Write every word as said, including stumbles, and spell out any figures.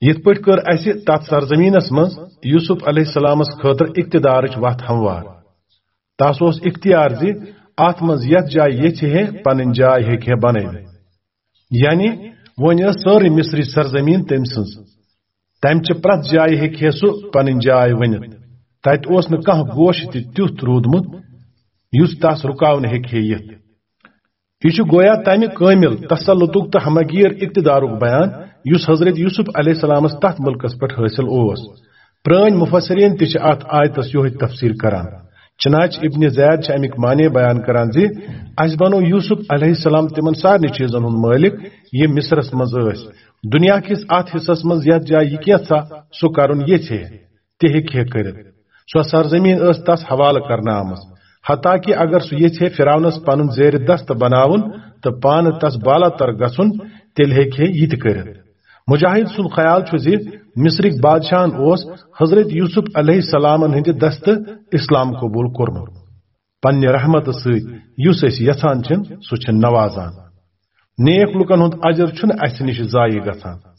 یِتھ پٲٹھۍ کٔر اَسہِ تَتھ سرزمیٖنَس منٛز یوسف علیہ السلامَس خٲطرٕ اقتدارٕچ وَتھ ہموار۔ تَس اوس اختیار زِ اَتھ منٛز یَتھ جایہِ ییٚژھِ ہے پنٕنۍ جاے ہیٚکہِ ہے بنٲوِتھ۔ یعنی وۄنۍ ٲس سٲرٕے مصری سرزمیٖن تٔمۍ سٕنٛز۔ تَمہِ چہِ پرٛٮ۪تھ جایہِ ہیٚکہِ ہے سُہ پنٕنۍ جاے ؤنِتھ۔ تَتہِ اوس نہٕ کانٛہہ گوش تہِ تیُتھ روٗدمُت یُس تَس رُکاونہٕ ہیٚکہِ ہے یِتھ۔ یہِ چھُ گویا تَمہِ کٲمِل تسلطُک تہٕ ہمگیر اقتدارُک بیان، یُس حضرت یوسف علیہ السلامَس تَتھ مُلکَس پٮ۪ٹھ حٲصِل اوس۔ پرٛٲنۍ مُفسریٖن تہِ چھِ اَتھ آیتَس یِہوٚے تفسیٖر کران۔ چنانچہ ابن زید چھِ اَمِکۍ معنی بیان کران زِ اَسہِ بنوو یوسف علیہ السلام تِمن سارنٕے چیٖزن ہُنٛد مٲلِک، یِم مصرس منٛز ٲسۍ۔ دُنیا کِس اَتھ حصس منٛز یَتھ جایہِ یہِ کینٛژھا سُہ کرُن ییٚژھِ ہے، تہِ ہیٚکہِ ہے کٔرِتھ۔ سۄ سرزمیٖن ٲس تَس حوالہٕ کرنہٕ آمٕژ۔ حتیٰ کہِ اگر سُہ ییٚژھِ ہے فرعونس پنُن زیرِ دست بناوُن تہٕ پانہٕ تَس بالاتر گژھُن، تیٚلہِ ہیٚکہِ ہے یہِ تہِ کٔرِتھ۔ مجاہد سُنٛد خیال چھُ زِ مصرٕکۍ بادشاہن اوس حضرت یوسف علیہ السلامن ہٕنٛدِ دستہٕ اسلام قبول کوٚرمُت۔ پننہِ رحمتہٕ سۭتۍ یُس أسۍ یژھان چھِن، سُہ چھِن نوازان۔ نیک لوٗکن ہُنٛد اجر چھُنہٕ اَسہِ نِش ضایع گژھان۔